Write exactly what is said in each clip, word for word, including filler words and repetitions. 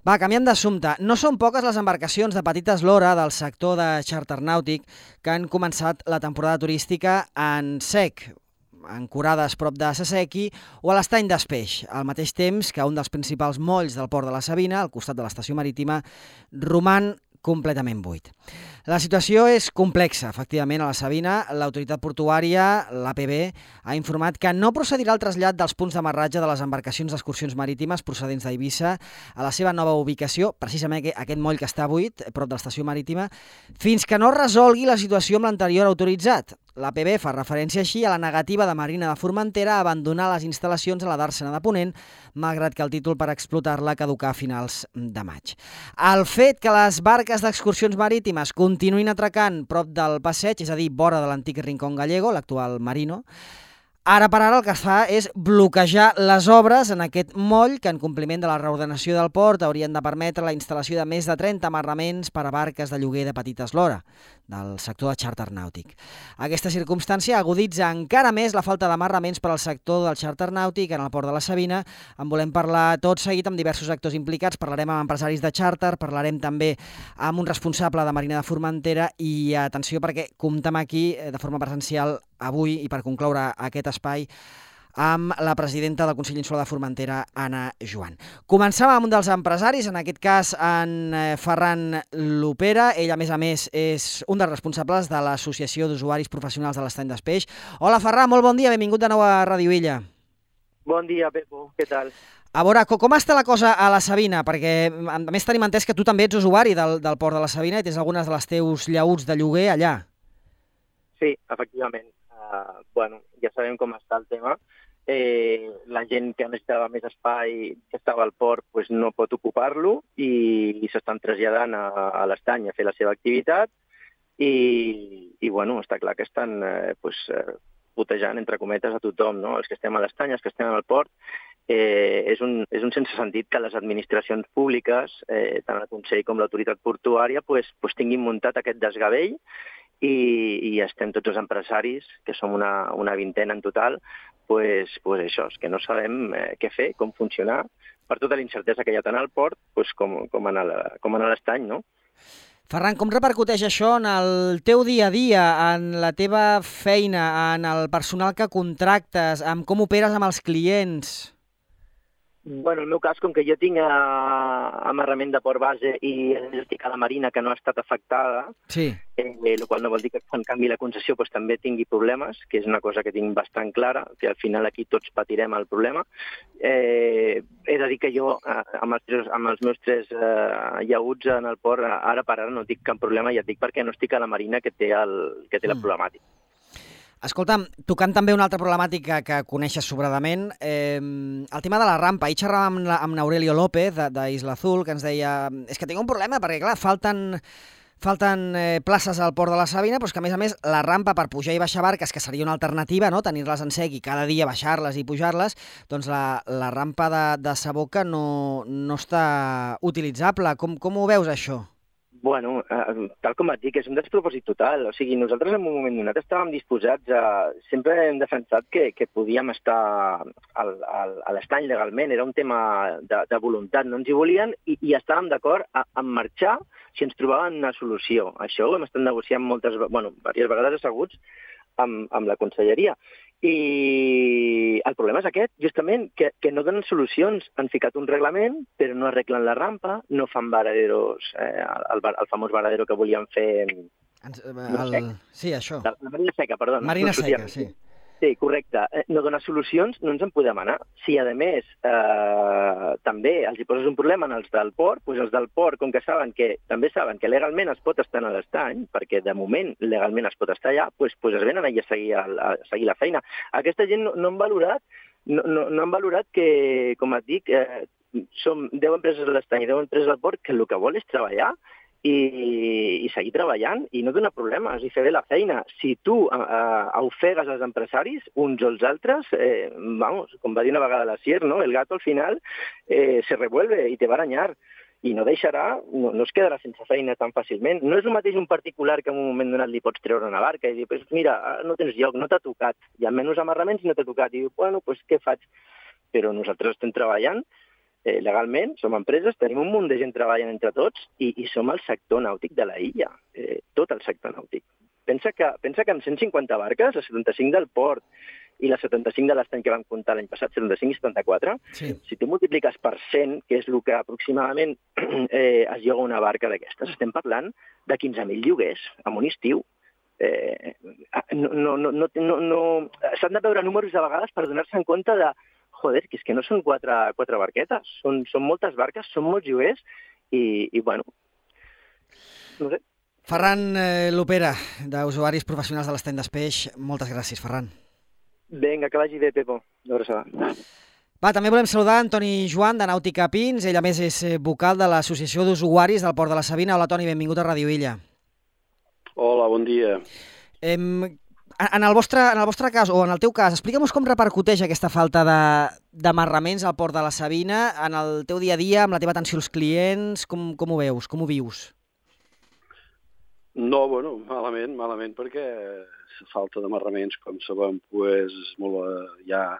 Va, canviant d'assumpte. No són poques les embarcacions de petita eslora del sector de xàrter nàutic que han començat la temporada turística en sec, ancorades prop de Sasequi o a l'estany d'Espeix, al mateix temps que un dels principals molls del port de la Sabina, al costat de l'estació marítima, roman completament buit. La situació és complexa, efectivament, a la Sabina. L'autoritat portuària, l'A P B, ha informat que no procedirà al trasllat dels punts d'amarratge de les embarcacions d'excursions marítimes procedents d'Eivissa a la seva nova ubicació, precisament aquest moll que està buit, prop de l'estació marítima, fins que no resolgui la situació amb l'anterior autoritzat. L'A P B fa referència així a la negativa de Marina de Formentera a abandonar les instal·lacions a la Dàrsena de Ponent, malgrat que el títol per explotar-la caducà a finals de maig. El fet que les barques d'excursions marítimes continuïn atracant prop del passeig, és a dir, vora de l'antic Rincón Gallego, l'actual Marino, ara per ara el que es fa és bloquejar les obres en aquest moll que, en compliment de la reordenació del port, haurien de permetre la instal·lació de més de trenta amarraments per a barques de lloguer de petita eslora del sector de xàrter nàutic. Aquesta circumstància aguditza encara més la falta d'amarraments per al sector del xàrter nàutic en el port de la Sabina. En volem parlar tot seguit amb diversos actors implicats. Parlarem amb empresaris de xàrter, parlarem també amb un responsable de Marina de Formentera i atenció perquè comptem aquí de forma presencial avui i per concloure aquest espai amb la presidenta del Consell Insular de Formentera, Anna Joan. Començàvem amb un dels empresaris, en aquest cas en Ferran Lopera. Ell, a més a més, és un dels responsables de l'Associació d'Usuaris Professionals de l'Estany d'Espeix. Hola, Ferran, molt bon dia, benvingut de nou a Ràdio Illa. Bon dia, Pepo, què tal? A veure, com està la cosa a la Sabina? Perquè, a més, tenim entès que tu també ets usuari del, del port de la Sabina i tens algunes de les teus llaüts de lloguer allà. Sí, efectivament. Uh, bueno, ja sabem com està el tema. Eh, la gent que necessitava més espai, que estava al port, pues no pot ocupar-lo i, i s'estan traslladant a, a l'estany a fer la seva activitat i, i bueno, està clar que estan eh, pues, eh, putejant, entre cometes, a tothom, no? Els que estem a l'estany, els que estem al port. Eh, és, un, és un sense sentit que les administracions públiques, eh, tant el Consell com l'autoritat portuària, pues, pues tinguin muntat aquest desgavell i, i estem tots els empresaris, que som una, una vintena en total, pues, pues això, és que no sabem eh, què fer, com funcionar, per tota la incertesa que hi ha tant al port pues, com, com en l'estany, no? Ferran, com repercuteix això en el teu dia a dia, en la teva feina, en el personal que contractes, en com operes amb els clients? Bueno, en el meu cas, com que jo tinc uh, amarrament de port base i estic a la Marina, que no ha estat afectada, sí. eh, el qual no vol dir que quan canvi la concessió pues, també tingui problemes, que és una cosa que tinc bastant clara, que al final aquí tots patirem el problema. Eh, he de dir que jo, uh, amb, els, amb els meus tres uh, llaüts en el port, uh, ara per ara no tinc cap problema, ja et dic perquè no estic a la Marina, que té, el, que té la problemàtica. Escolta'm, tocant també una altra problemàtica que coneixes sobradament, eh, el tema de la rampa. Ahir xerràvem amb, amb Aurelio López, d'Isla Azul, que ens deia és que tinc un problema perquè, clar, falten, falten eh, places al port de la Sabina, però és que, a més a més, la rampa per pujar i baixar barques, que seria una alternativa, no?, tenir-les en sec i cada dia baixar-les i pujar-les, doncs la, la rampa de, de Saboca no, no està utilitzable. Com, com ho veus, això? Bueno, eh, tal com et dic, és un despropòsit total. O sigui, nosaltres en un moment donat estàvem disposats a... Sempre hem defensat que, que podíem estar al, al, a l'estany legalment. Era un tema de, de voluntat. No ens hi volien i, i estàvem d'acord en marxar si ens trobaven una solució. Això ho hem estat negociant moltes, bueno, diverses vegades asseguts amb, amb la conselleria. I el problema és aquest, justament, que, que no donen solucions. Han ficat un reglament, però no arreglen la rampa, no fan varaderos, eh, el, el famós varadero que volien fer... El... Sí, això. La, la Marina Seca, perdó. Marina no Seca, sí. Sí, correcte. No donar solucions, no ens en podem anar. Si, a més, eh, també els hi poses un problema als del port, doncs els del port, com que saben que també saben que legalment es pot estar a l'estany, perquè de moment legalment es pot estar allà, doncs, doncs es venen allà a seguir, a, a seguir la feina. Aquesta gent no, no han valorat no, no, no han valorat que, com et dic, eh, som deu empreses a l'estany i deu empreses al port que el que vol és treballar i, i seguir treballant i no donar problemes i fer bé la feina. Si tu eh, ofegues els empresaris, uns o els altres, eh, vamos, com va dir una vegada la Sier, ¿no? El gato al final eh, se revuelve i te va arañar i no deixarà, no, no es quedarà sense feina tan fàcilment. No és el mateix un particular que en un moment donat li pots treure una barca i dir, pues mira, no tens lloc, no t'ha tocat, hi ha menys amarraments i no t'ha tocat. I diu, bueno, pues què faig? Però nosaltres estem treballant eh, legalment, som empreses, tenim un munt de gent treballant entre tots i, i som el sector nàutic de la illa, eh, tot el sector nàutic. Pensa que, pensa que amb cent cinquanta barques, les setanta-cinc del port i les setanta-cinc de l'estany que vam comptar l'any passat, setanta-cinc i setanta-quatre, sí. Si tu multipliques per cent, que és el que aproximadament eh, es lloga una barca d'aquestes, estem parlant de quinze mil lloguers en un estiu. Eh, no, no, no, no, no, no... S'han de veure números de vegades per donar-se en compte de joder, que és que no són quatre, quatre barquetes, són, són moltes barques, són molts lloguers i, i bueno, no sé. Ferran eh, Lopera, d'Usuaris Professionals de l'Estany d'Espeix, moltes gràcies, Ferran. Vinga, que vagi bé, Pepo. Va, també volem saludar Antoni Joan, de Nàutica Pins. Ell, a més, és vocal de l'Associació d'Usuaris del Port de la Sabina. Hola, Toni, benvingut a Ràdio Illa. Hola, bon dia. Em, en, el vostre, en el vostre cas, o en el teu cas, explica'm com repercuteix aquesta falta d'amarraments al Port de la Sabina en el teu dia a dia, amb la teva atenció als clients. Com, com ho veus? Com ho vius? No, bueno, malament, malament, perquè la falta d'amarraments, com sabem, pues, és molt eh, ja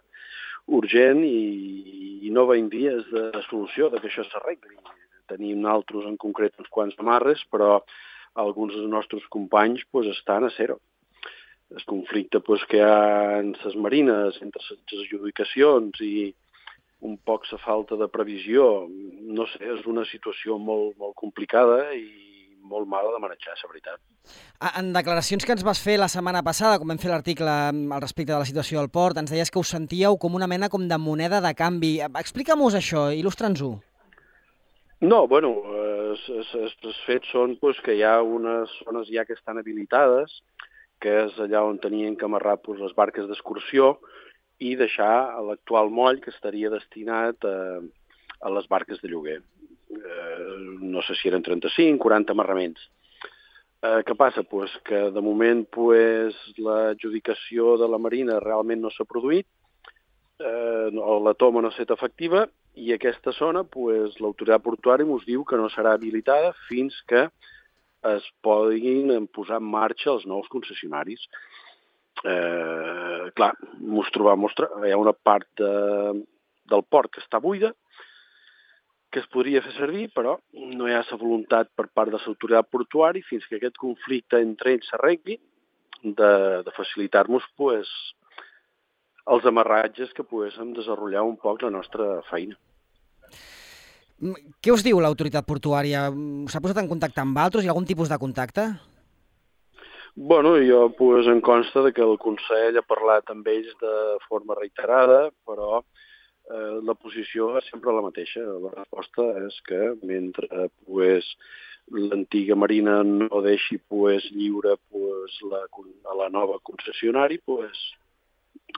urgent i, i no veiem dies de solució de que això s'arregli. Tenim nosaltres en concret uns quants amarres, però alguns dels nostres companys pues, estan a zero. El conflicte pues, que hi ha en les marines, entre les adjudicacions i un poc la falta de previsió, no sé, és una situació molt, molt complicada i molt mala de manejar, la veritat. En declaracions que ens vas fer la setmana passada, com vam fer l'article al respecte de la situació del port, ens deies que us sentíeu com una mena com de moneda de canvi. Explica-mos això, il·lustra'ns-ho. No, bueno, els fets són pues, que hi ha unes zones ja que estan habilitades, que és allà on tenien que amarrar pues, les barques d'excursió i deixar l'actual moll que estaria destinat a, a les barques de lloguer. Eh, no sé si eren trenta-cinc, quaranta amarraments. Eh, què passa? Pues que de moment pues, l'adjudicació de la Marina realment no s'ha produït, eh, la toma no ha estat efectiva i aquesta zona pues, l'autoritat portuària ens diu que no serà habilitada fins que es puguin posar en marxa els nous concessionaris. Eh, clar, mos trobam, hi ha una part de, del port que està buida, que es podria fer servir, però no hi ha la voluntat per part de l'autoritat portuària fins que aquest conflicte entre ells s'arregli de, de facilitar-nos pues, els amarratges que poguéssim desenvolupar un poc la nostra feina. Què us diu l'autoritat portuària? S'ha posat en contacte amb altres? Hi ha algun tipus de contacte? Bueno, jo pues, em consta que el Consell ha parlat amb ells de forma reiterada, però eh, la posició és sempre la mateixa. La resposta és que mentre pues, l'antiga Marina no deixi pues, lliure pues, la, a la nova concessionari, pues,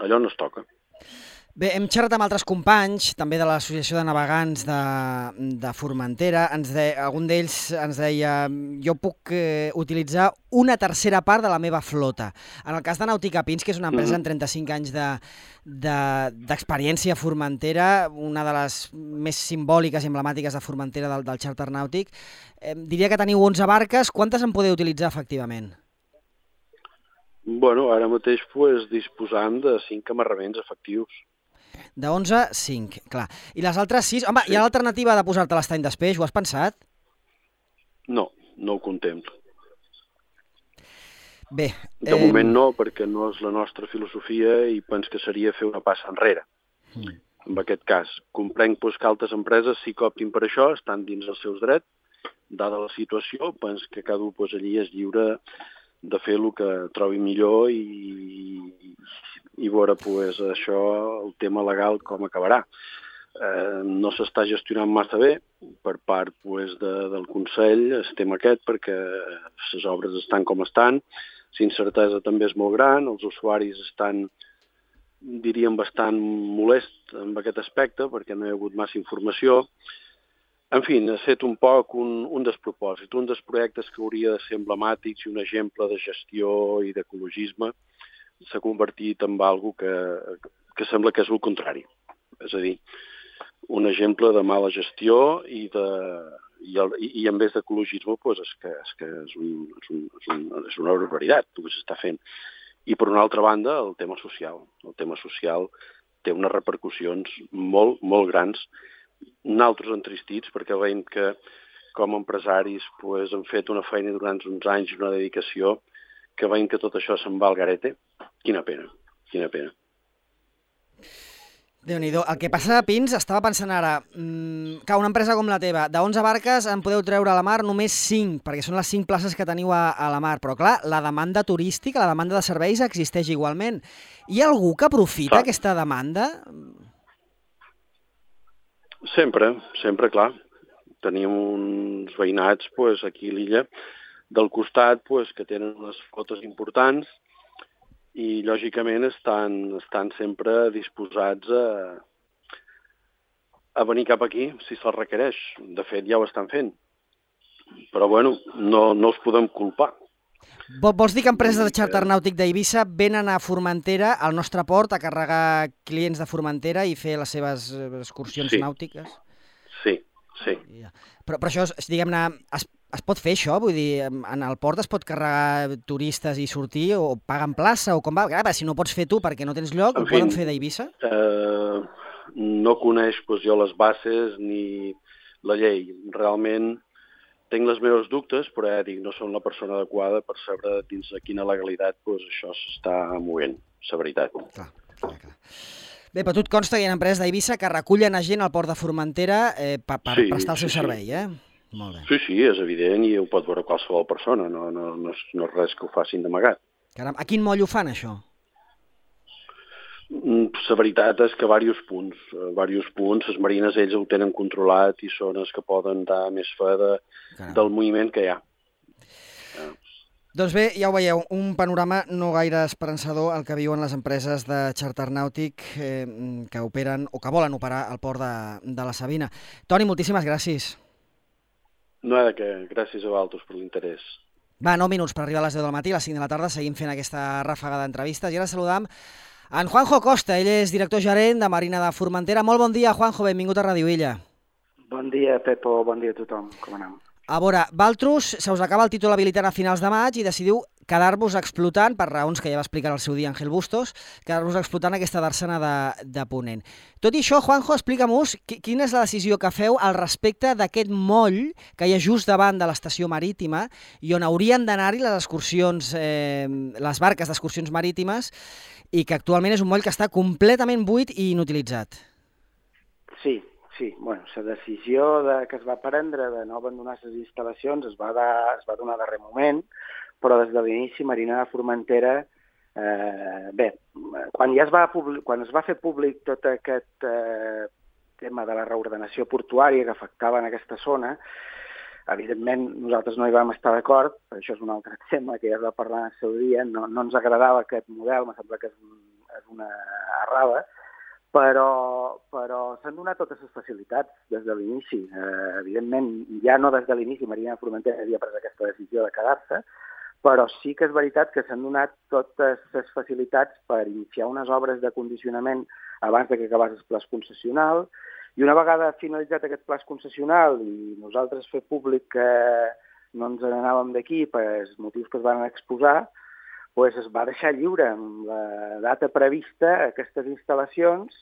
allò no es toca. Bé, hem xerrat amb altres companys, també de l'Associació de Navegants de, de Formentera. Ens de, algun d'ells ens deia jo puc eh, utilitzar una tercera part de la meva flota. En el cas de Nàutica Pins, que és una empresa amb trenta-cinc anys d'experiència de, de, a Formentera, una de les més simbòliques i emblemàtiques de Formentera del, del xàrter nàutic, eh, diria que teniu onze barques. Quantes en podeu utilitzar efectivament? Bueno, ara mateix pues, disposant de cinc amarraments efectius. De onze, cinc, clar. I les altres sis... Home, sí. Hi ha l'alternativa de posar-te a l'estany d'Espeix, ho has pensat? No, no ho contemplo. Bé... De eh... moment no, perquè no és la nostra filosofia i penso que seria fer una passa enrere. Mm. En aquest cas, comprenc pues, que altres empreses sí que optin per això, estan dins els seus drets, dada la situació, penso que cada un pues, allí és lliure de fer el que trobi millor i, i veure pues, això, el tema legal com acabarà. Eh, no s'està gestionant massa bé per part pues, de, del Consell el tema aquest perquè les obres estan com estan, l'incertesa també és molt gran, els usuaris estan, diríem, bastant molests en aquest aspecte perquè no hi ha hagut massa informació. En fi, ha estat un poc un, un despropòsit, un dels projectes que hauria de ser emblemàtics i un exemple de gestió i d'ecologisme s'ha convertit en algo que, que sembla que és el contrari. És a dir, un exemple de mala gestió i, de, i, el, i, i en vez d'ecologisme pues, és que, és, que és, un, és, un, és, un, és una barbaritat el que s'està fent. I per una altra banda, el tema social. El tema social té unes repercussions molt, molt grans nosaltres entristits, perquè veiem que com a empresaris pues, han fet una feina durant uns anys, una dedicació, que veiem que tot això se'n va al garete. Quina pena, quina pena. Déu-n'hi-do. El que passa, Pins, estava pensant ara, mmm, que una empresa com la teva, de onze barques en podeu treure a la mar només cinc, perquè són les cinc places que teniu a, a la mar. Però, clar, la demanda turística, la demanda de serveis existeix igualment. Hi ha algú que aprofita Clar. aquesta demanda? Sempre, sempre, clar. Tenim uns veïnats pues, aquí a l'illa del costat pues, que tenen unes flotes importants i, lògicament, estan, estan sempre disposats a, a venir cap aquí si se'ls requereix. De fet, ja ho estan fent. Però, bueno, no, no els podem culpar. Vols dir que empreses de xàrter nàutic d'Eivissa venen a Formentera, al nostre port, a carregar clients de Formentera i fer les seves excursions Sí. nàutiques? Sí, sí. Però, però això, diguem-ne, es, es pot fer això? Vull dir, en el port es pot carregar turistes i sortir o paguen plaça o com va? Clar, si no pots fer tu perquè no tens lloc, En ho fi, poden fer d'Eivissa? Eh, no coneix pues, jo les bases ni la llei. Realment tinc les meves dubtes, però ja dic, no som la persona adequada per saber dins de quina legalitat pues, això s'està movent, la veritat. Clar, clar, clar. Bé, però tu et consta que hi ha empreses d'Eivissa que recullen a gent al port de Formentera eh, per, per Sí, prestar el seu sí, sí. servei, eh? Molt bé. Sí, sí, és evident i ho pot veure qualsevol persona, no, no, no, és, no és res que ho facin d'amagat. Caram, a quin moll ho fan, això? La veritat és que a diversos punts, a diversos punts, les marines ells ho tenen controlat i són els que poden dar més fe de, del moviment que hi ha. Ja. Doncs bé, ja ho veieu, un panorama no gaire esperançador el que viuen les empreses de xàrter nàutic eh, que operen o que volen operar al port de, de la Sabina. Toni, moltíssimes gràcies. No hi ha de què, gràcies a vosaltres per l'interès. Va, nou minuts per arribar a les deu del matí, a les cinc de la tarda, seguim fent aquesta ràfaga d'entrevistes i ara saludam en Juanjo Costa, ell és director gerent de Marina de Formentera. Molt bon dia, Juanjo, benvingut a Ràdio Illa. Bon dia, Pepo, bon dia a tothom, com anem? A veure, Valtrus, se us acaba el títol habilitant a finals de maig i decidiu quedar-vos explotant, per raons que ja va explicar al seu dia Ángel Bustos, quedar-vos explotant aquesta darsena de, de Ponent. Tot i això, Juanjo, explica-mos quina és la decisió que feu al respecte d'aquest moll que hi ha just davant de l'estació marítima i on haurien d'anar-hi les excursions, eh, les barques d'excursions marítimes i que actualment és un moll que està completament buit i inutilitzat. Sí, sí. Bueno, la decisió de, que es va prendre de no abandonar les instal·lacions es va, de, es va donar a darrer moment, però des de l'inici Marina de Formentera, eh, bé, quan, ja es va, quan es va fer públic tot aquest eh, tema de la reordenació portuària que afectava en aquesta zona, evidentment nosaltres no hi vam estar d'acord, això és un altre tema que ja es va parlar en el seu dia, no, no ens agradava aquest model, em sembla que és, un, és una errada, però, però s'han donat totes les facilitats des de l'inici. Eh, evidentment, ja no des de l'inici Marina de Formentera havia pres aquesta decisió de quedar-se, però sí que és veritat que s'han donat totes les facilitats per iniciar unes obres de condicionament abans de que acabés el pla concessional, i una vegada finalitzat aquest pla concessional i nosaltres fer públic que no ens n'anàvem d'aquí per els motius que es van exposar, pues es va deixar lliure amb la data prevista aquestes instal·lacions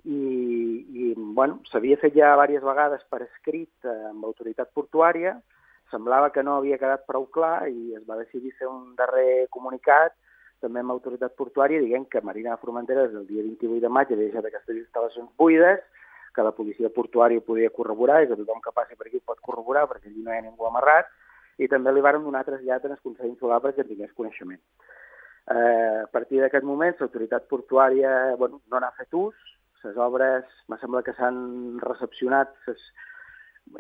i, i bueno, s'havia fet ja diverses vegades per escrit amb l'autoritat portuària, semblava que no havia quedat prou clar i es va decidir fer un darrer comunicat també amb l'autoritat portuària dient que Marina de Formentera des del dia vint-i-vuit de maig havia deixat aquestes instal·lacions buides, que la policia portuària ho podia corroborar i que tothom que passi per aquí ho pot corroborar perquè allí no hi ha ningú amarrat, i també li varen donar trasllat en el Consell Insular perquè en tingués coneixement. Eh, a partir d'aquest moment, l'autoritat portuària bueno, no n'ha fet ús, les obres, me sembla que s'han recepcionat, ses,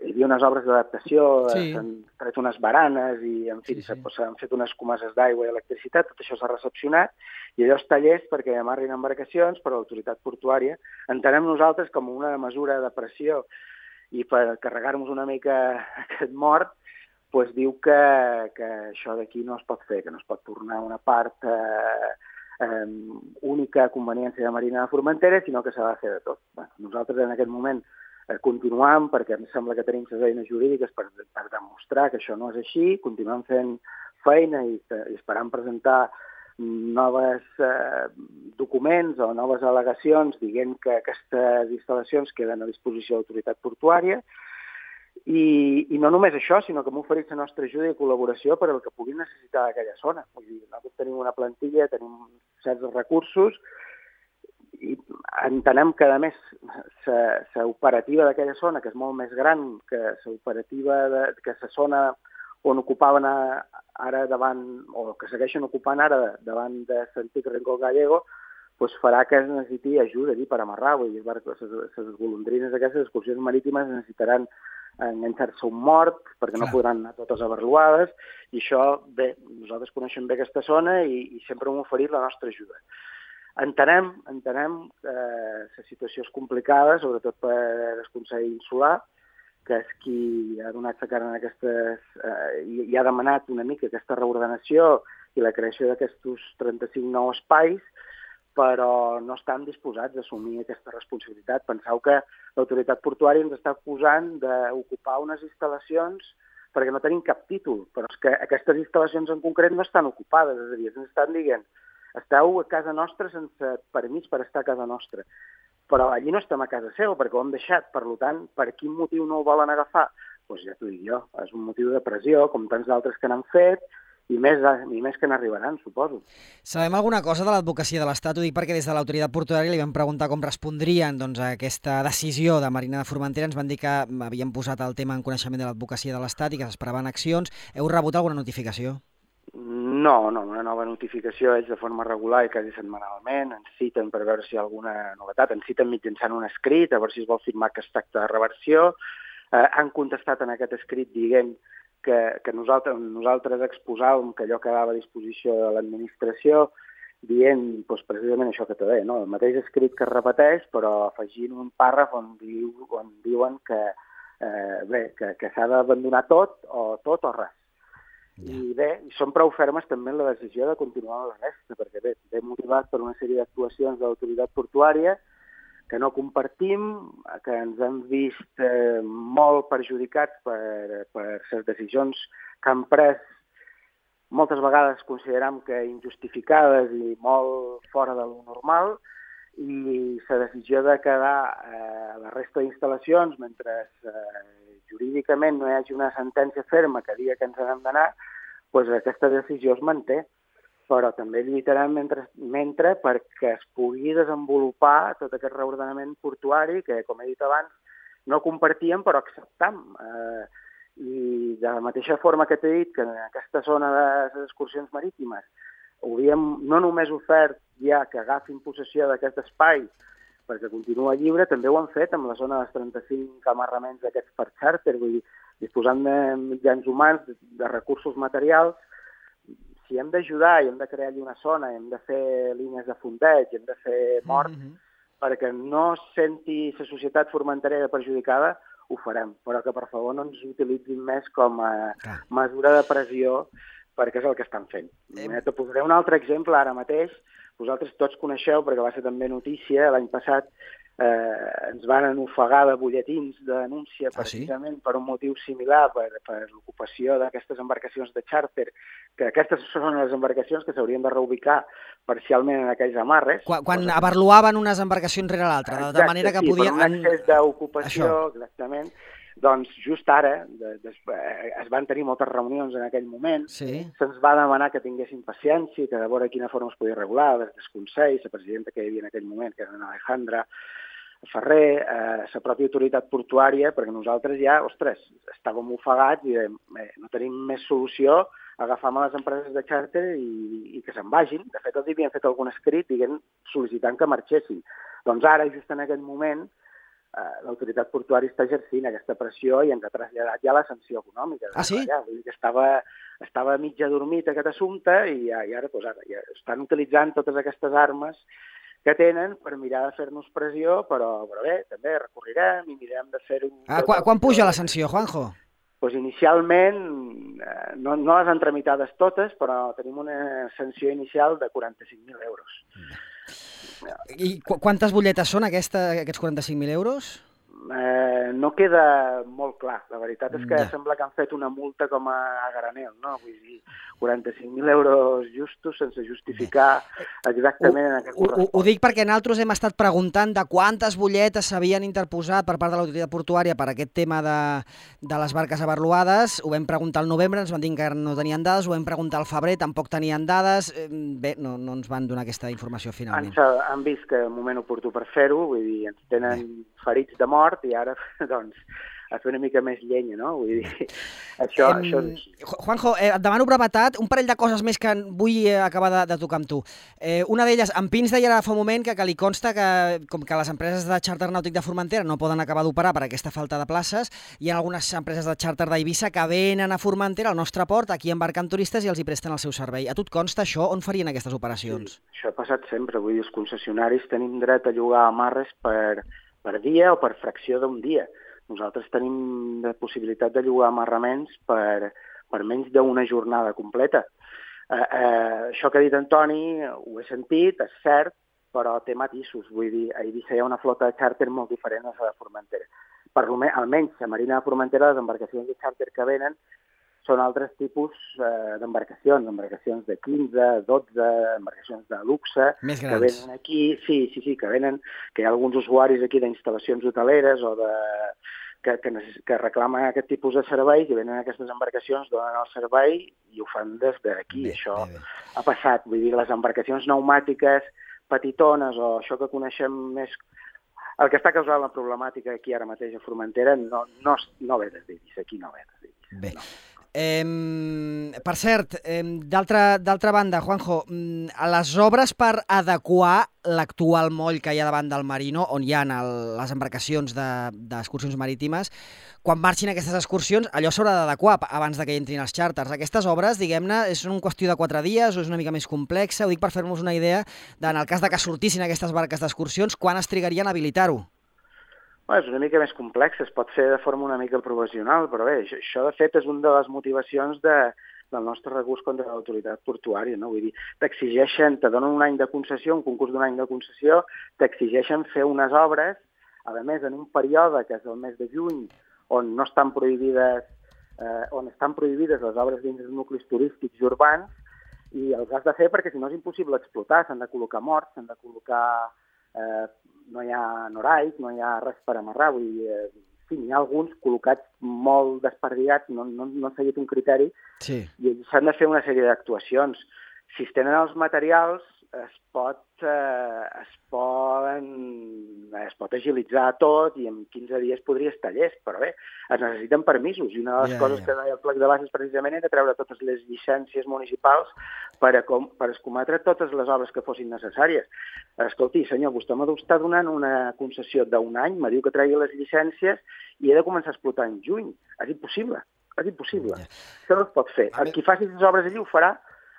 hi havia unes obres d'adaptació, sí. S'han tret unes baranes i, en fi, s'han sí, sí. fet unes comeses d'aigua i electricitat, tot això s'ha recepcionat, i allò està llest perquè amarrin embarcacions, però l'autoritat portuària entenem nosaltres com una mesura de pressió i per carregar-nos una mica aquest mort, pues diu que, que això d'aquí no es pot fer, que no es pot tornar una part eh, eh, única a conveniència de Marina de Formentera, sinó que s'ha de fer de tot. Bé, nosaltres en aquest moment eh, continuam, perquè em sembla que tenim les eines jurídiques per, per demostrar que això no és així, continuem fent feina i, i esperant presentar noves eh, documents o noves al·legacions dient que aquestes instal·lacions queden a disposició de l'autoritat portuària. I, I no només això, sinó que hem oferit la nostra ajuda i col·laboració per al que puguin necessitar d'aquella zona. Vull dir, nosaltres tenim una plantilla, tenim certs recursos i entenem que, a més, l'operativa d'aquella zona, que és molt més gran que l'operativa de, que la zona on ocupaven ara davant, o que segueixen ocupant ara davant de l'antic Rincó Gallego, doncs farà que es necessiti ajuda allí per amarrar. Vull dir, les golondrines d'aquestes excursions marítimes necessitaran enganxar-se un mort, perquè no podran anar totes abarluades, i això, bé, nosaltres coneixem bé aquesta zona i, i sempre hem oferit la nostra ajuda. Entenem, entenem que la situació és complicada, sobretot per el Consell Insular, que és qui ha donat la cara en aquestes, eh, i, i ha demanat una mica aquesta reordenació i la creació d'aquests trenta-cinc nous espais, però no estan disposats a assumir aquesta responsabilitat. Penseu que l'autoritat portuària ens està acusant d'ocupar unes instal·lacions perquè no tenim cap títol, però és que aquestes instal·lacions en concret no estan ocupades, és a dir, ens estan dient esteu a casa nostra sense permís per estar a casa nostra, però allí no estem a casa seu perquè ho hem deixat, per tant, per quin motiu no ho volen agafar? Doncs ja t'ho dic jo, és un motiu de pressió, com tants d'altres que n'han fet, i més, i més que n'arribaran, suposo. Sabem alguna cosa de l'advocacia de l'Estat? Ho dic perquè des de l'autoritat portuària li vam preguntar com respondrien doncs, a aquesta decisió de Marina de Formentera. Ens van dir que havien posat el tema en coneixement de l'advocacia de l'Estat i que s'esperaven accions. Heu rebut alguna notificació? No, no, una nova notificació és de forma regular i quasi setmanalment. Ens citen per veure si hi ha alguna novetat. Ens citen mitjançant un escrit, a veure si es vol firmar que es tracta de reversió. Eh, han contestat en aquest escrit dient que, que nosaltres, nosaltres exposàvem que allò quedava a disposició de l'administració, dient doncs, precisament això que t'ho deia, no? El mateix escrit que es repeteix, però afegint un pàrraf on, diu, on diuen que, eh, bé, que, que s'ha d'abandonar tot o tot o res. Yeah. I bé, són prou fermes també en la decisió de continuar la resta, perquè bé, ve motivat per una sèrie d'actuacions de l'autoritat portuària que no compartim, que ens hem vist eh, molt perjudicats per, per les decisions que han pres, moltes vegades consideram que injustificades i molt fora de lo normal, i la decisió de quedar eh, la resta d'instal·lacions mentre eh, jurídicament no hi hagi una sentència ferma que digui que ens n'hem d'anar, doncs aquesta decisió es manté. Però també lluitarem mentre, mentre perquè es pugui desenvolupar tot aquest reordenament portuari que, com he dit abans, no compartíem però acceptam. Eh, I de la mateixa forma que t'he dit que en aquesta zona de les excursions marítimes ho havíem no només ofert ja que agafin possessió d'aquest espai perquè continua lliure, també ho han fet amb la zona dels trenta-cinc amarraments d'aquests per xàrter, vull dir, disposant de mitjans humans, de, de recursos materials. Si hem d'ajudar i hem de crear allà una zona, hem de fer línies de fondeig, hem de fer morts, mm-hmm. perquè no es senti la societat formenterera perjudicada, ho farem, però que per favor no ens utilitzin més com a ah. mesura de pressió, perquè és el que estan fent. Eh... Te posaré un altre exemple ara mateix. Vosaltres tots coneixeu, perquè va ser també notícia, l'any passat eh, ens van ofegar de butlletins de denúncia precisament ah, sí? per un motiu similar, per, per l'ocupació d'aquestes embarcacions de xàrter, que aquestes són les embarcacions que s'haurien de reubicar parcialment en aquells amarres. Quan, quan cosa... abarluaven unes embarcacions rere l'altra, de, de manera que sí, podien... per un excés d'ocupació, exactament. Doncs just ara de, de, es van tenir moltes reunions en aquell moment, sí. Se'ns va demanar que tinguéssim paciència, que de veure quina forma es podia regular, des del Consell, la presidenta que hi havia en aquell moment, que era Alejandra Ferrer, eh, la pròpia autoritat portuària, perquè nosaltres ja, ostres, estàvem ofegats i dèiem, eh, no tenim més solució, agafam a les empreses de xàrter i, i que se'n vagin. De fet, els havien fet algun escrit diguem, sol·licitant que marxessin. Doncs ara, just en aquest moment, Uh, l'autoritat portuària està exercint aquesta pressió i ens ha traslladat ja la sanció econòmica. Ah, sí? Ja, vull dir que estava, estava mitja dormit aquest assumpte i, ja, i ara, doncs, ara ja estan utilitzant totes aquestes armes que tenen per mirar de fer-nos pressió, però, però bé, també recorrirem i mirem de fer-ho... Ah, quan, quan puja la sanció, Juanjo? Pues inicialment, eh, no, no les han tramitades totes, però tenim una sanció inicial de quaranta-cinc mil euros. I qu quantes butlletes són aquesta, aquests quaranta-cinc mil euros? eh, no queda molt clar. La veritat és que Ja. sembla que han fet una multa com a, a granel, no? Vull dir, quaranta-cinc mil euros justos sense justificar exactament en aquest Ho, ho, correspon. ho dic perquè nosaltres hem estat preguntant de quantes butlletes s'havien interposat per part de l'autoritat portuària per aquest tema de, de les barques avarluades. Ho vam preguntar al novembre, ens van dir que no tenien dades, ho vam preguntar al febrer, tampoc tenien dades. Eh, Bé, no, no ens van donar aquesta informació finalment. Ens han vist que és un moment oportú per fer-ho, vull dir, ens tenen Bé. ferits de mort i ara, doncs, a fer una mica més llenya, no? Vull dir, això, Em, això és així. Juanjo, eh, et demano brevetat, un parell de coses més que vull eh, acabar de, de tocar amb tu. Eh, una d'elles, en Pins deia ara fa un moment que, que li consta que, com que les empreses de xàrter nàutic de Formentera no poden acabar d'operar per aquesta falta de places, hi ha algunes empreses de xàrter d'Eivissa que venen a Formentera, al nostre port, aquí embarcant turistes i els hi presten el seu servei. A tu et consta això? On farien aquestes operacions? Sí, això ha passat sempre, vull dir, els concessionaris tenim dret a llogar amarres per, per dia o per fracció d'un dia. Nosaltres tenim la possibilitat de llogar amarraments per, per menys d'una jornada completa. Eh, eh, això que ha dit Antoni, ho he sentit, és cert, però té matisos. Vull dir, a Eivissa hi ha una flota de xàrter molt diferent a la de Formentera. Per, almenys a Marina de Formentera, les embarcacions de xàrter que venen són altres tipus eh, d'embarcacions, embarcacions de quinze, dotze, embarcacions de luxe, Més que grans. venen aquí, sí, sí, sí, que venen, que hi ha alguns usuaris aquí d'instal·lacions hoteleres o de, que, que, necess, que reclamen aquest tipus de serveis i venen aquestes embarcacions, donen el servei i ho fan des d'aquí. Bé, Això bé, bé. ha passat, vull dir, les embarcacions pneumàtiques petitones o això que coneixem més. El que està causant la problemàtica aquí ara mateix a Formentera no, no, no ve des d'Eivissa, aquí no ve des d'Eivissa. Bé. No. Eh, per cert, eh, d'altra banda, Juanjo, a les obres per adequar l'actual moll que hi ha davant del Marino, on hi ha el, les embarcacions d'excursions de, marítimes, quan marxin aquestes excursions, allò s'haurà d'adequar abans de que hi entrin els xàrters. Aquestes obres, diguem-ne, és una qüestió de quatre dies o és una mica més complexa? Ho dic per fer-nos una idea de, en el cas de que sortissin aquestes barques d'excursions, quan es trigarien a habilitar-ho? És una mica més complex, es pot fer de forma una mica professional, però bé, això de fet és una de les motivacions de, del nostre recurs contra l'autoritat portuària, no? Vull dir, t'exigeixen, te donen un any de concessió, un concurs d'un any de concessió, t'exigeixen fer unes obres, a més en un període que és el mes de juny, on no estan prohibides, eh, on estan prohibides les obres dins dels nuclis turístics i urbans, i els has de fer perquè si no és impossible explotar, s'han de col·locar morts, s'han de col·locar... Eh, no hi ha noraic, no hi ha res per amarrar, vull dir, eh, sí, n'hi ha alguns col·locats molt desperdigats, no, no, no han seguit un criteri, sí. I s'han de fer una sèrie d'actuacions. Si es tenen els materials, es pot, eh, es poden, es pot agilitzar tot i en quinze dies podria estar llest, però bé, es necessiten permisos, i una de les ja, coses ja. que deia el plec de bases precisament era treure totes les llicències municipals per, a com, per escometre totes les obres que fossin necessàries. Escolti, senyor, vostè m'està donant una concessió d'un any, me diu que tregui les llicències i he de començar a explotar en juny. És impossible, és impossible. Ja. Això no es pot fer. A El qui faci les obres allí ho farà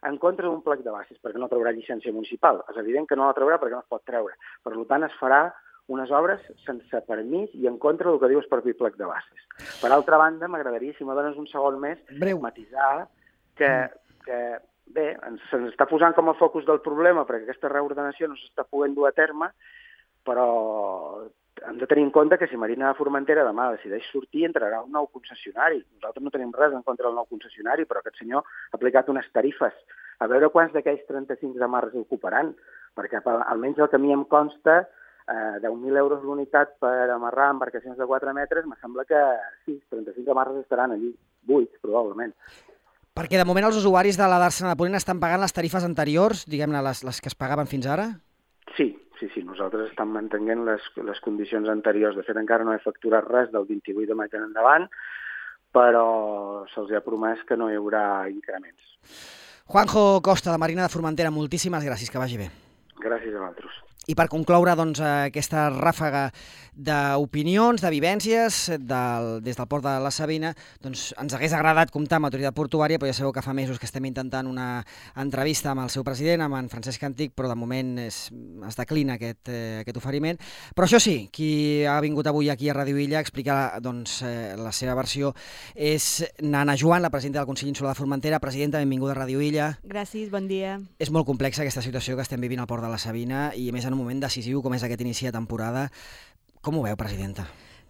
en contra d'un plec de bases, perquè no traurà llicència municipal. És evident que no la traurà perquè no es pot treure. Per tant, es farà unes obres sense permís i en contra del que diu el propi plec de bases. Per altra banda, m'agradaria, si me dones un segon més, Breu. matisar que, que bé, se'ns està posant com a focus del problema perquè aquesta reordenació no s'està podent dur a terme, però hem de tenir en compte que si Marina de Formentera demà decideix sortir, entrarà un nou concessionari. Nosaltres no tenim res en contra del nou concessionari, però aquest senyor ha aplicat unes tarifes. A veure quants d'aquells trenta-cinc amarres ocuparan, perquè almenys el que a mi em consta, eh, deu mil euros l'unitat per amarrar embarcacions de quatre metres, me sembla que sí, trenta-cinc amarres estaran allí, buits, probablement. Perquè de moment els usuaris de la Dàrsena de Ponent estan pagant les tarifes anteriors, diguem-ne, les, les que es pagaven fins ara? Sí, sí, sí, nosaltres estem mantenint les, les condicions anteriors. De fet, encara no he facturat res del vint-i-vuit de maig en endavant, però se'ls ha promès que no hi haurà increments. Juanjo Costa, de Marina de Formentera, moltíssimes gràcies, que vagi bé. Gràcies a vosaltres. I per concloure doncs, aquesta ràfaga d'opinions, de vivències del, des del port de la Sabina, doncs ens hagués agradat comptar amb l'autoritat portuària, però ja sabeu que fa mesos que estem intentant una entrevista amb el seu president, amb en Francesc Antic, però de moment es, es declina aquest, eh, aquest oferiment. Però això sí, qui ha vingut avui aquí a Ràdio Illa a explicar doncs, eh, la seva versió és Nana Joan, la presidenta del Consell Insular de Formentera. Presidenta, benvinguda a Ràdio Illa. Gràcies, bon dia. És molt complexa aquesta situació que estem vivint al port de la Sabina i a més en un moment decisiu com és aquest inici de temporada. Com ho veu, presidenta?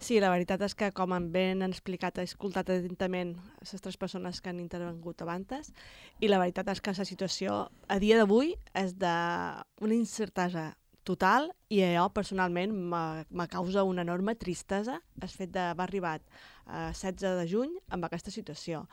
Sí, la veritat és que, com em ben explicat, he escoltat atentament les tres persones que han intervengut abans, i la veritat és que la situació a dia d'avui és d'una incertesa total i jo personalment me causa una enorme tristesa el fet d'haver arribat a setze de juny amb aquesta situació.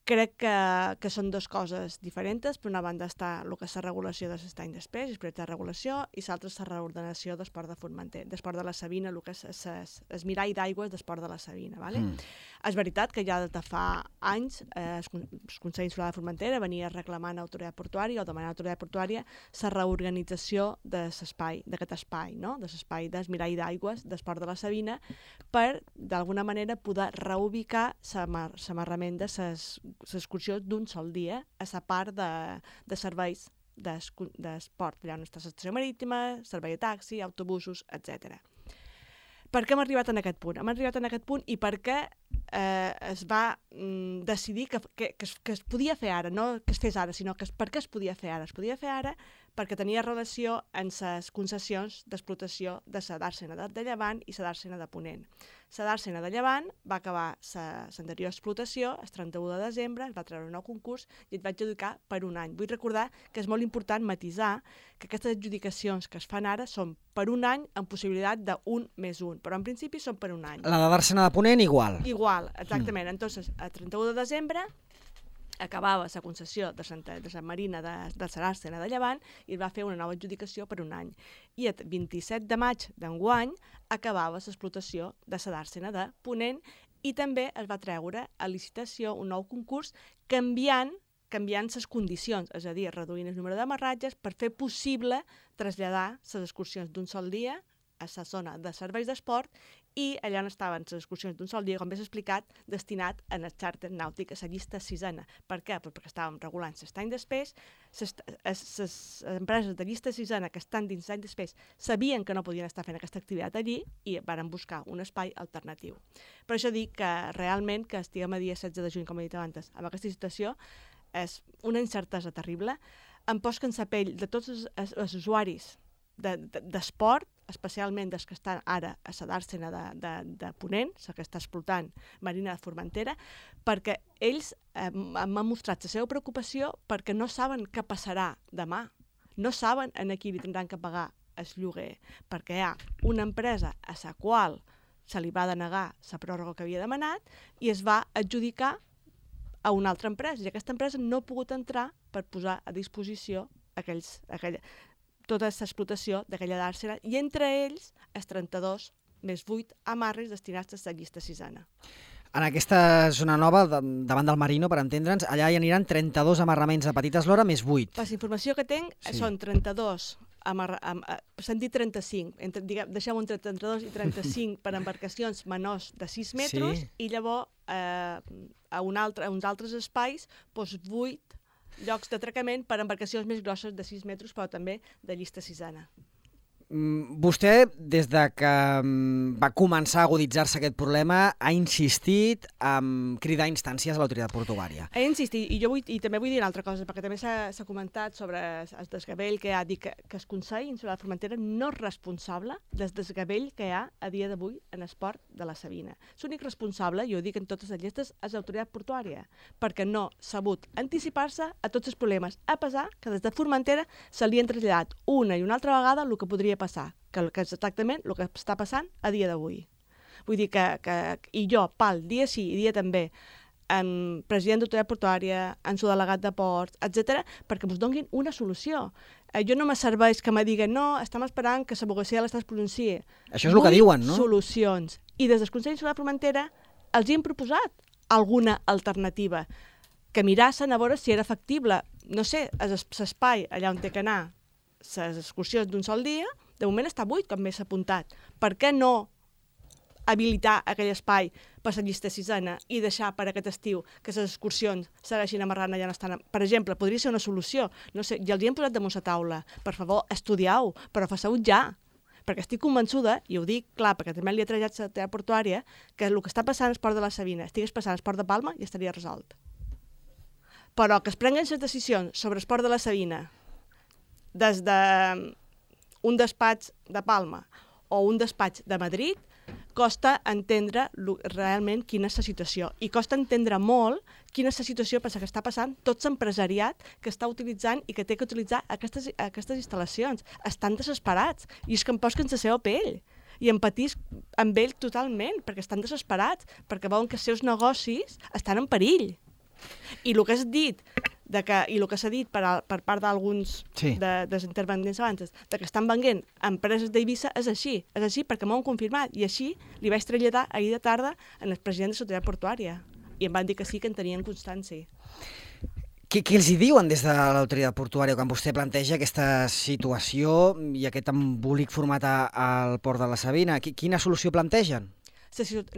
Crec que, que són dues coses diferents. Per una banda està el que és la regulació de l'estany després, el projecte de regulació, i l'altra és la reordenació d'esport de Formentera, d'esport de la Sabina, el que és el mirall d'aigües d'esport de la Sabina. Vale? Mm. És veritat que ja des de fa anys eh, el Consell Insular de Formentera venia reclamant a l'autoritat portuària o demanant a l'autoritat portuària la reorganització de l'espai, d'aquest espai, no? de l'espai del mirall d'aigües d'esport de la Sabina, per d'alguna manera poder reubicar l'amarrament de les l'excursió d'un sol dia a la part de, de serveis d'esport, allà on està l'estació marítima, servei de taxi, autobusos, etcètera. Per què hem arribat en aquest punt? Hem arribat en aquest punt i per què eh, es va mm, decidir que, que, que, es, que es podia fer ara, no que es fes ara, sinó que es, per què es podia fer ara? Es podia fer ara perquè tenia relació amb les concessions d'explotació de la dàrsena de Llevant i la dàrsena de Ponent. La dàrsena de Llevant va acabar l'anterior explotació el trenta-u de desembre, es va treure un nou concurs i es va adjudicar per un any. Vull recordar que és molt important matisar que aquestes adjudicacions que es fan ara són per un any amb possibilitat d'un més un, però en principi són per un any. La de dàrsena de Ponent igual. Igual, exactament. Mm. Entonces, el trenta-u de desembre acabava la concessió de Santa de Sant Marina de, de Saràsena de Llevant i es va fer una nova adjudicació per un any. I el vint-i-set de maig d'enguany acabava l'explotació de la dàrsena de Ponent i també es va treure a licitació un nou concurs canviant canviant les condicions, és a dir, reduint el número d'amarratges per fer possible traslladar les excursions d'un sol dia a la zona de serveis d'esport i allà on estaven les excursions d'un sol dia, com bé s'ha explicat, destinat a el xàrter nàutic, a la llista sisena. Per què? Perquè estàvem regulant l'estany d'espès, les empreses de llista sisena que estan dins l'any d'espès sabien que no podien estar fent aquesta activitat allí i varen buscar un espai alternatiu. Per això dic que realment que estiguem a dia setze de juny, com he dit abans, amb aquesta situació és una incertesa terrible. Em poso en la pell de tots els, els usuaris d'esport, de, de, especialment dels que estan ara a la dàrsena de, de, de Ponent, la que està explotant Marina de Formentera, perquè ells eh, m'han mostrat la seva preocupació perquè no saben què passarà demà. No saben en qui li tindran que pagar el lloguer, perquè hi ha una empresa a la qual se li va denegar la pròrroga que havia demanat i es va adjudicar a una altra empresa, i aquesta empresa no ha pogut entrar per posar a disposició aquells, aquella, tota aquesta explotació d'aquella dàrsena, i entre ells els trenta-dos més vuit amarres destinats a la llista sisena. En aquesta zona nova, davant del Marino, per entendre'ns, allà hi aniran trenta-dos amarraments de petita eslora més vuit. Per la informació que tinc, sí. Són trenta-dos, amarra, am, s'han dit trenta-cinc, entre, diguem, deixem entre trenta-dos i trenta-cinc per embarcacions menors de sis metres, sí. I llavors eh, a, un altre, a uns altres espais, doncs vuit llocs d'atracament per embarcacions més grosses de sis metres, però també de llista sisena. Vostè, des de que va començar a aguditzar-se aquest problema, ha insistit en cridar instàncies a l'autoritat portuària. He insistit, i jo vull, i també vull dir una altra cosa, perquè també s'ha comentat sobre el desgavell que hi ha, dit que, que el Consell Insular de Formentera no és responsable del desgavell que hi ha a dia d'avui en esport de la Sabina. L'únic responsable, i ho dic en totes les llistes, és l'autoritat portuària, perquè no s'ha sabut anticipar-se a tots els problemes, a pesar que des de Formentera se li han traslladat una i una altra vegada el que podria passar, que, que és exactament el que està passant a dia d'avui. Vull dir que, que i jo, pal, dia sí i dia també, en president d'autoritat portuària, en subdelegat de ports, etcètera, perquè ens donin una solució. Eh, jo no me serveix que me diguen no, estem esperant que l'abogacía de l'Estat es pronunciï. Això és el que diuen, no? Solucions. I des del Consell Insular de Formentera els hi hem proposat alguna alternativa, que mirassen a veure si era factible, no sé, l'espai allà on té que anar les excursions d'un sol dia, de moment està buit, com més s'ha apuntat. Per què no habilitar aquell espai per la llista sisena i deixar per aquest estiu que les excursions segueixin amarrant allà on estan? Per exemple, podria ser una solució. No sé, ja els hi hem posat damunt la taula. Per favor, estudiau, però feu-ho ja. Perquè estic convençuda, i ho dic clar, perquè també li he trajat la teatre portuària, que el que està passant al Port de la Sabina estigués passant al Port de Palma i estaria resolt. Però que es prenguen les decisions sobre el Port de la Sabina des d'un despatx de Palma o un despatx de Madrid, costa entendre realment quina és la situació. I costa entendre molt quina és la situació que està passant tot l'empresariat que està utilitzant i que té que utilitzar aquestes, aquestes instal·lacions. Estan desesperats i és que em posen la seva pell i empatís amb ells totalment perquè estan desesperats, perquè veuen que els seus negocis estan en perill. I el que has dit de que, i el que s'ha dit per, a, per part d'alguns sí. de, dels interventents abans, de que estan venguent empreses d'Eivissa, és així, és així perquè m'ho han confirmat, i així li vaig traslladar ahir de tarda al president de l'autoritat portuària, i em van dir que sí, que en tenien constància. Què, què els hi diuen des de l'autoritat portuària quan vostè planteja aquesta situació i aquest embolic format al port de la Sabina? Quina solució plantegen?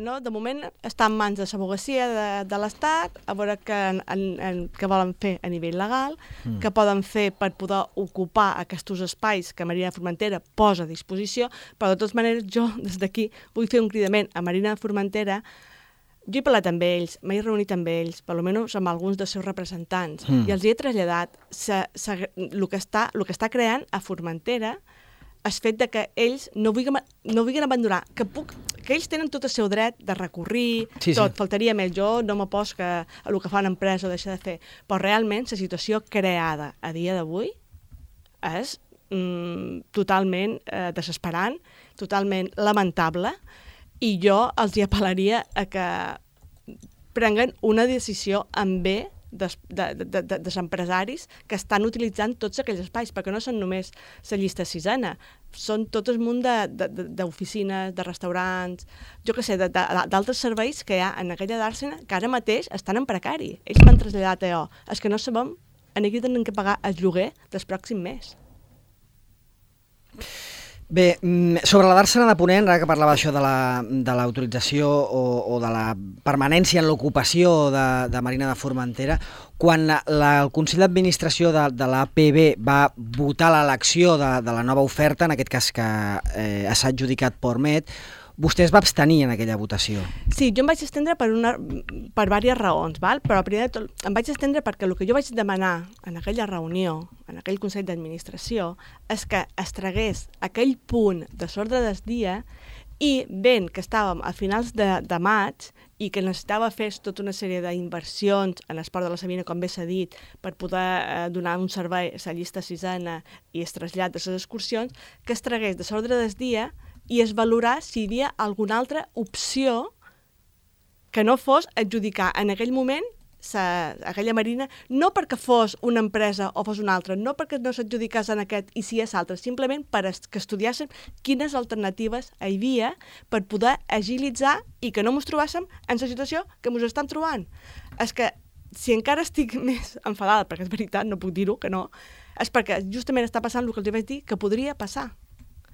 No, de moment està en mans de l'advocacia de, de l'Estat, a veure què, en, en, què volen fer a nivell legal, mm. què poden fer per poder ocupar aquests espais que Marina de Formentera posa a disposició, però de totes maneres jo des d'aquí vull fer un cridament a Marina de Formentera. Jo he parlat amb ells, m'he reunit amb ells, per almenys amb alguns dels seus representants, mm. i els hi he traslladat el que està, el que està creant a Formentera el fet de que ells no vulguin, no vulguin abandonar, que, puc, que ells tenen tot el seu dret de recórrer, sí, tot, sí. Faltaria més, jo no m'apos que el que fa una empresa o deixa de fer, però realment la situació creada a dia d'avui és mm, totalment eh, desesperant, totalment lamentable, i jo els hi apel·laria a que prenguen una decisió en bé dels de, de, de, de empresaris que estan utilitzant tots aquells espais, perquè no són només la llista sisena, són tot el munt d'oficines, de, de, de restaurants, jo què sé, d'altres serveis que hi ha en aquella dàrsena que ara mateix estan en precari. Ells m'han traslladat a jo. És que no sabem en aquí tenen que pagar el lloguer del pròxim mes. Bé, sobre la Dàrsena de Ponent, ara que parlava això de l'autorització la, o, o de la permanència en l'ocupació de, de Marina de Formentera, quan la, la, el Consell d'Administració de, de l'A P B va votar l'elecció de, de la nova oferta, en aquest cas que eh, s'ha adjudicat Portmet, vostè es va abstenir en aquella votació. Sí, jo em vaig estendre per, una, per diverses raons, val? Però primer de tot em vaig estendre perquè el que jo vaig demanar en aquella reunió, en aquell Consell d'Administració, és que es tragués aquell punt de l'ordre del dia i ben que estàvem a finals de, de maig i que necessitava fer tota una sèrie d'inversions en el port de la Sabina, com bé s'ha dit, per poder eh, donar un servei a la llista sisena i es trasllat de les excursions, que es tragués de l'ordre del dia i es valorar si hi havia alguna altra opció que no fos adjudicar en aquell moment sa, aquella marina, no perquè fos una empresa o fos una altra, no perquè no s'adjudicés en aquest i si és altre, simplement per que estudiàssim quines alternatives hi havia per poder agilitzar i que no ens trobàssim en la situació que ens estan trobant. És que si encara estic més enfadada, perquè és veritat, no puc dir-ho, que no, és perquè justament està passant el que els vaig dir que podria passar,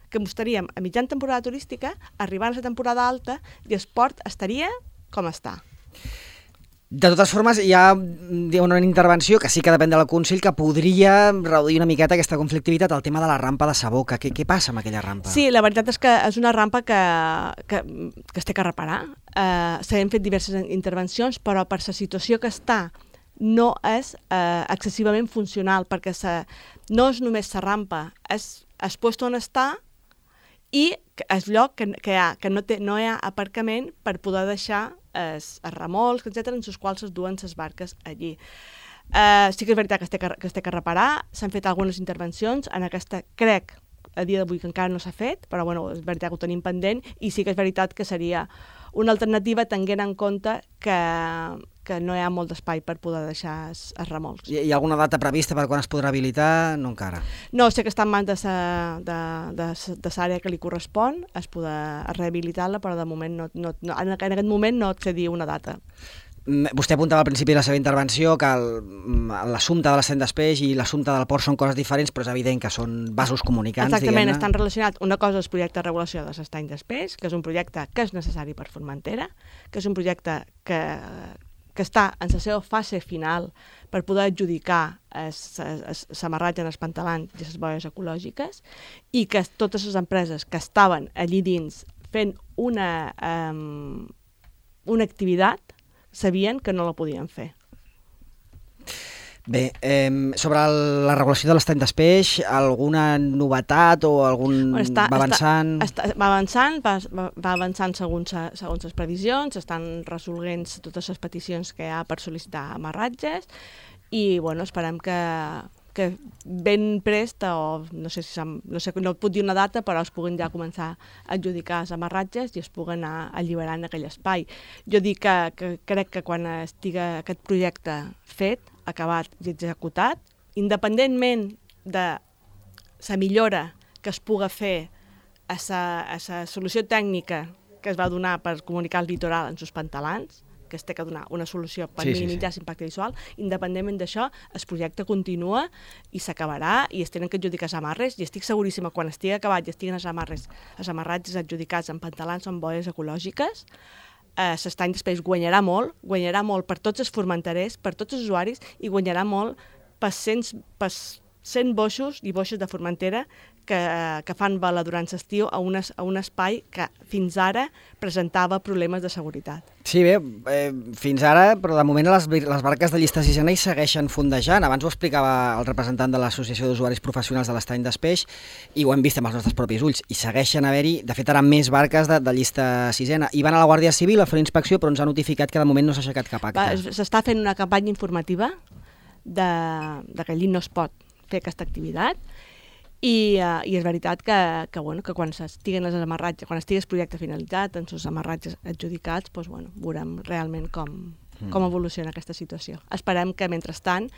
que estaríem a mitjan temporada turística, arribant a la temporada alta, i el port estaria com està. De totes formes, hi ha una intervenció que sí que depèn del Consell que podria reduir una miqueta aquesta conflictivitat, el tema de la rampa de Saboca. Què, què passa amb aquella rampa? Sí, la veritat és que és una rampa que, que, que es té que reparar. Uh, S'han fet diverses intervencions, però per la situació que està no és uh, excessivament funcional, perquè sa, no és només la rampa, és el lloc on està i el lloc que, que, hi ha, que no, té, no hi ha aparcament per poder deixar els, els remolcs, etcètera, en els quals es duen les barques allí. Uh, sí que és veritat que es té que, que, es té que reparar, s'han fet algunes intervencions, en aquesta crec a dia d'avui que encara no s'ha fet, però bueno, és veritat que ho tenim pendent, i sí que és veritat que seria una alternativa tenint en compte que, que no hi ha molt d'espai per poder deixar els, els remolcs. Hi ha alguna data prevista per quan es podrà habilitar? No encara. No, sé que està en mans de l'àrea que li correspon, es podrà rehabilitar-la, però de moment no, no, no, en aquest moment no et sé dir una data. Vostè apuntava al principi de la seva intervenció que l'assumpte de l'estany d'espeix i l'assumpte del port són coses diferents, però és evident que són vasos comunicants. Exactament, estan relacionats. Una cosa és el projecte de regulació de l'estany d'espeix, que és un projecte que és necessari per Formentera, que és un projecte que, que està en la seva fase final per poder adjudicar l'amarratge en els pantalans i les boies ecològiques, i que totes les empreses que estaven allí dins fent una, um, una activitat sabien que no la podien fer. Bé, eh, sobre la regulació de l'estany d'espeix, alguna novetat o algun... Bueno, està, va avançant? Està, està, va avançant, va, va avançant segons, segons les previsions, estan resolent totes les peticions que hi ha per sol·licitar amarratges i bueno, esperem que, que ben prest, o no sé si no, sé, no puc dir una data, però es puguin ja començar a adjudicar els amarratges i es puguen anar alliberant aquell espai. Jo dic que, que crec que quan estigui aquest projecte fet, acabat i executat, independentment de la millora que es puga fer a la solució tècnica que es va donar per comunicar el litoral en sus pantalans, que es té que donar una solució per sí, minimitzar sí, sí. l'impacte visual, independentment d'això, el projecte continua i s'acabarà i es tenen que adjudicar els amarres i estic seguríssima que quan estigui acabat i estiguen els amarres, els amarratges adjudicats en pantalans o en boies ecològiques, l'estany d'espeix guanyarà molt, guanyarà molt per tots els formenterers, per tots els usuaris i guanyarà molt per cent boixos i boixes de Formentera que, que fan bala durant l'estiu a, a un espai que fins ara presentava problemes de seguretat. Sí, bé, eh, fins ara, però de moment les, les barques de llista sisena hi segueixen fondejant. Abans ho explicava el representant de l'Associació d'Usuaris Professionals de l'Estany d'Espeix i ho hem vist amb els nostres propis ulls. I segueixen haver-hi, de fet, ara més barques de, de llista sisena. I van a la Guàrdia Civil a fer inspecció, però ens han notificat que de moment no s'ha aixecat cap acte. S'està fent una campanya informativa de, de que allí no es pot fer aquesta activitat i, uh, i és veritat que, que, bueno, que quan estiguen els amarratges, quan estigui el projecte finalitzat, en els amarratges adjudicats, doncs, bueno, veurem realment com, mm. com evoluciona aquesta situació. Esperem que, mentrestant,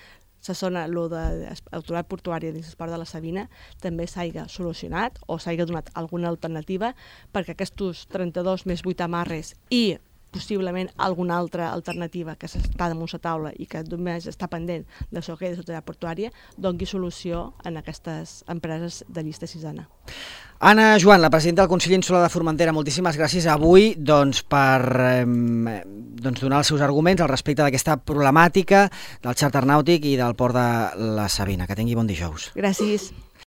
la zona, lo de l'autoritat portuària dins l'esport de la Sabina també s'hagi solucionat o s'hagi donat alguna alternativa perquè aquests trenta-dos més vuit amarres i possiblement alguna altra alternativa que està damunt la taula i que només està pendent de això que és l'autoritat portuària, doni solució en aquestes empreses de llista sisena. Anna Joan, la presidenta del Consell Insular de Formentera, moltíssimes gràcies avui doncs, per eh, doncs, donar els seus arguments al respecte d'aquesta problemàtica del xàrter nàutic i del port de la Sabina. Que tingui bon dijous. Gràcies.